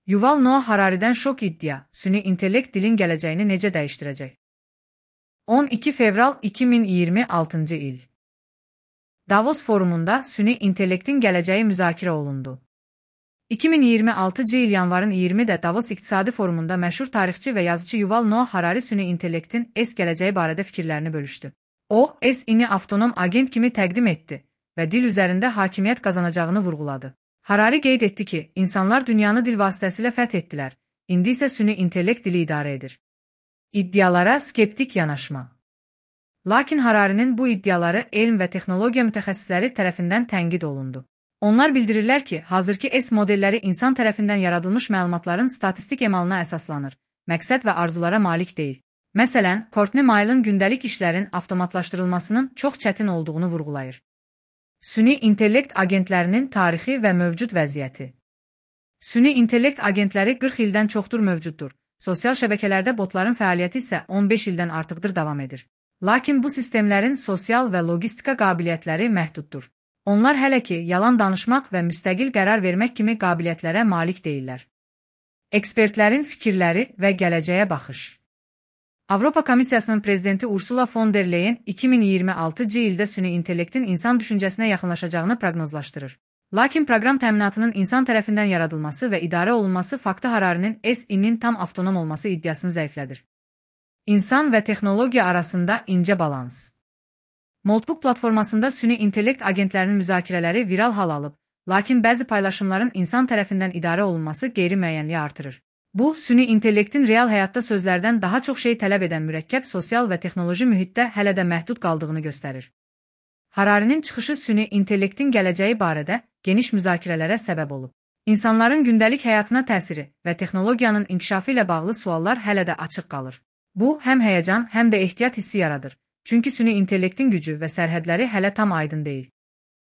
Yuval Noah Harari'dən şok iddia, süni intellekt dilin gələcəyini necə dəyişdirəcək? 12 fevral 2026 il. Davos forumunda süni intellektin gələcəyi müzakirə olundu. 2026 il yanvarın 20-də Davos İqtisadi Forumunda məşhur tarixçi və yazıcı Yuval Noah Harari süni intellektin gələcəyi barədə fikirlərini bölüşdü. O, ini avtonom agent kimi təqdim etdi və dil üzərində hakimiyyət qazanacağını vurğuladı. Harari qeyd etdi ki, insanlar dünyanı dil vasitəsilə fəth etdilər, indi isə süni intellekt dili idarə edir. İddialara skeptik yanaşma. Lakin Hararinin bu iddiaları elm və texnologiya mütəxəssisləri tərəfindən tənqid olundu. Onlar bildirirlər ki, hazırki modelləri insan tərəfindən yaradılmış məlumatların statistik emalına əsaslanır, məqsəd və arzulara malik deyil. Məsələn, Courtney Mile'ın gündəlik işlərin avtomatlaşdırılmasının çox çətin olduğunu vurğulayır. Süni intellekt agentlərinin tarixi və mövcud vəziyyəti. Süni intellekt agentləri 40 ildən çoxdur mövcuddur. Sosial şəbəkələrdə botların fəaliyyəti isə 15 ildən artıqdır davam edir. Lakin bu sistemlərin sosial və logistika qabiliyyətləri məhduddur. Onlar hələ ki, yalan danışmaq və müstəqil qərar vermək kimi qabiliyyətlərə malik deyillər. Ekspertlərin fikirləri və gələcəyə baxış. Avropa Komissiyasının prezidenti Ursula von der Leyen 2026 ildə süni intellektin insan düşüncəsinə yaxınlaşacağını proqnozlaşdırır. Lakin proqram təminatının insan tərəfindən yaradılması və idarə olunması faktı Hararinin inin tam avtonom olması iddiasını zəiflədir. İnsan və texnologiya arasında incə balans. Moltbook platformasında süni intellekt agentlərinin müzakirələri viral hal alıb, lakin bəzi paylaşımların insan tərəfindən idarə olunması qeyri-müəyyənliyi artırır. Bu, süni intellektin real həyatda sözlərdən daha çox şey tələb edən mürəkkəb sosial və texnoloji mühitdə hələ də məhdud qaldığını göstərir. Hararinin çıxışı süni intellektin gələcəyi barədə geniş müzakirələrə səbəb olub. İnsanların gündəlik həyatına təsiri və texnologiyanın inkişafı ilə bağlı suallar hələ də açıq qalır. Bu, həm həyəcan, həm də ehtiyat hissi yaradır. Çünki süni intellektin gücü və sərhədləri hələ tam aydın deyil.